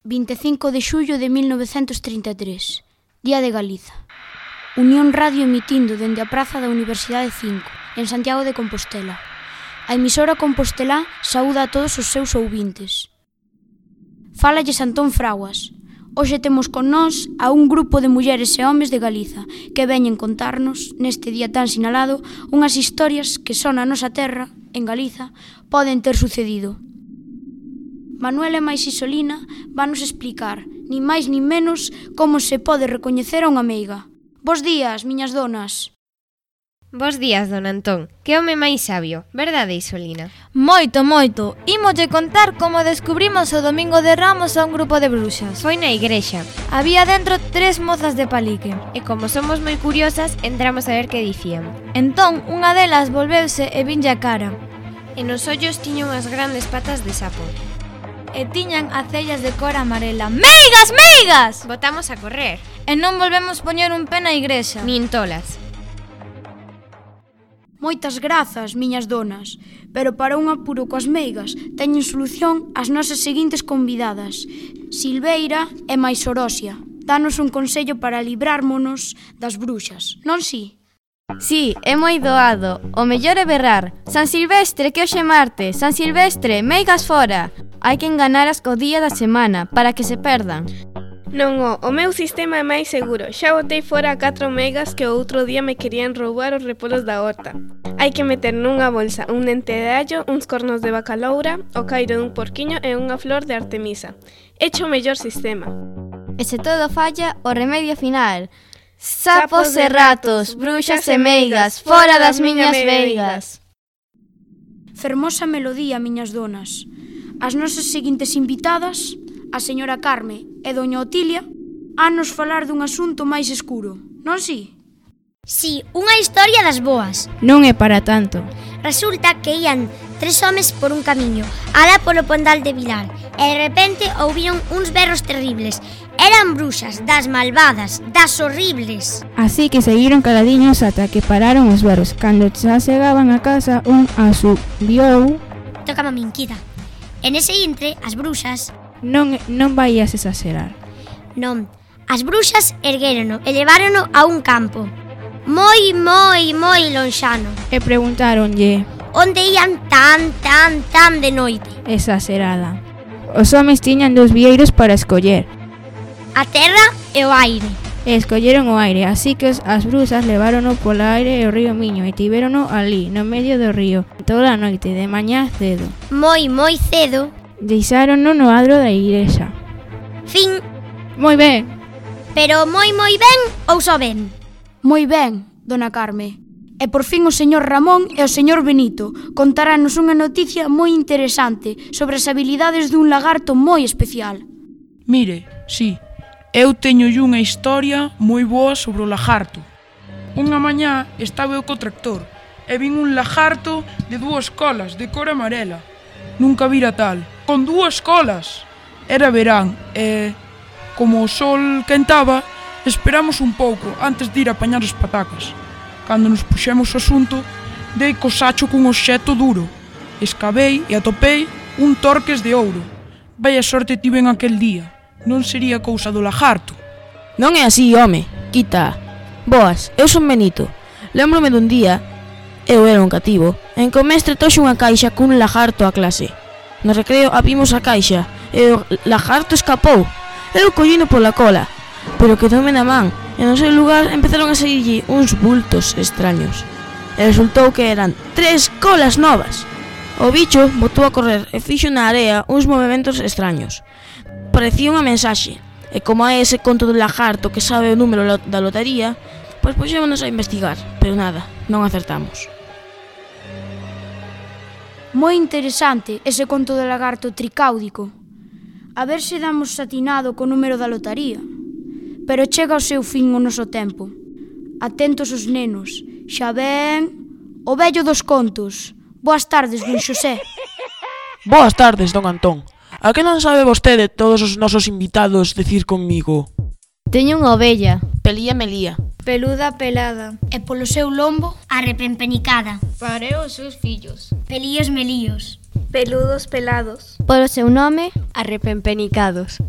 25 de xullo de 1933, Día de Galiza. Unión Radio emitindo dende a Praza da Universidade 5, en Santiago de Compostela. A emisora compostelá saúda a todos os seus ouvintes. Fálalles Antón Fraguas. Hoxe temos con nós a un grupo de mulleres e homes de Galiza que veñen contarnos, neste día tan sinalado, unhas historias que só na nosa terra, en Galiza, poden ter sucedido. Manuela e máis Isolina vanos explicar, nin máis nin menos, como se pode recoñecer a unha meiga. Bos días, miñas donas. Bos días, don Antón. Que home máis sabio, verdade, Isolina? Moito, moito. Ímolle contar como descubrimos o Domingo de Ramos a un grupo de bruxas. Foi na igrexa. Había dentro 3 mozas de palique. E como somos moi curiosas, entramos a ver que dicían. Entón, unha delas volveuse e vinlle a cara. E nos ollos tiña unhas grandes patas de sapo. E tiñan as cellas de cor amarela. Meigas, meigas! Botamos a correr. E non volvemos poñer un pé na igrexa. Nin tolas. Moitas grazas, miñas donas, pero para un apuro coas meigas teñen solución as nosas seguintes convidadas. Silveira e máis Orosia. Danos un consello para librármonos das bruxas, non si? Sí, é moi doado. O mellor é berrar: San Silvestre, que hoxe é martes. San Silvestre, meigas fora. Hai que enganaras co día da semana para que se perdan. Non, o meu sistema é máis seguro. Xa botei fora a 4 megas que o outro día me querían roubar os repolos da horta. Hai que meter nunha bolsa un dente de allo, uns cornos de bacaloura, o cairo dun porquiño e unha flor de artemisa. Hecho o mellor sistema. E se todo falla, o remedio final: sapos e ratos, bruxas e meigas, fora das miñas veigas. Fermosa melodía, miñas donas. As nosas seguintes invitadas, a señora Carme e doña Otilia, a nos falar dun asunto máis escuro, non si? Si, unha historia das boas. Non é para tanto. Resulta que ían 3 homes por un camiño, alá polo Pondal de Vilar, e de repente ouviron uns berros terribles. Eran bruxas, das malvadas, das horribles. Así que seguiron caladiños ata que pararon os berros. Cando xa chegaban a casa, un asubiou: Tócame a minquita. En ese intre, as bruxas... Non vaias exagerar. Non, as bruxas erguérono e levárono a un campo moi lonxano. E preguntáronlle: onde ían tan de noite? Exagerada. Os homes tiñan 2 vieiros para escoller: a terra e o aire. E escolleron o aire, así que as brusas levárono polo aire e o río Miño e tivérono ali, no medio do río, toda a noite, de mañá cedo. Moi cedo. Deixárono no adro da igrexa. Fin. Moi ben. Pero moi ben ou só ben? Moi ben, dona Carme. E por fin o señor Ramón e o señor Benito contarános unha noticia moi interesante sobre as habilidades dun lagarto moi especial. Mire, sí, eu teñolle unha historia moi boa sobre o lagarto. Unha mañá estaba eu co tractor e vin un lagarto de 2 colas de cor amarela. Nunca vira tal, con 2 colas. Era verán e, como o sol quentaba, esperamos un pouco antes de ir a apañar as patacas. Cando nos puxemos o asunto, dei co sacho cun obxecto duro. Escavei e atopei un torques de ouro. Vaya sorte tiven aquel día. Non sería cousa do lagarto. Non é así, home, quita. Boas, eu son Benito. Lémbrome dun día, eu era un cativo, en que o mestre trouxe unha caixa cun lagarto á clase. No recreo abrimos a caixa e o lagarto escapou. Eu collino pola cola, pero quedoume na man e no seu lugar empezaron a saírlle uns bultos extraños. E resultou que eran 3 colas novas. O bicho botou a correr e fixo na area uns movementos extraños. Parecía unha mensaxe, e como é ese conto do lagarto que sabe o número da lotaría, pois puxémonos a investigar, pero nada, non acertamos. Moi interesante ese conto do lagarto tricáudico. A ver se damos atinado co número da lotaría. Pero chega ao seu fin o noso tempo. Atentos os nenos, xa ven o vello dos contos. Boas tardes, don Xosé. Boas tardes, don Antón. A que non sabe vostede todos os nosos invitados decir conmigo? Teño unha ovella. Pelía melía. Peluda pelada. E polo seu lombo, Arrepempenicada. Pareo os seus fillos. Pelíos melíos. Peludos pelados. Polo seu nome, Arrepempenicados.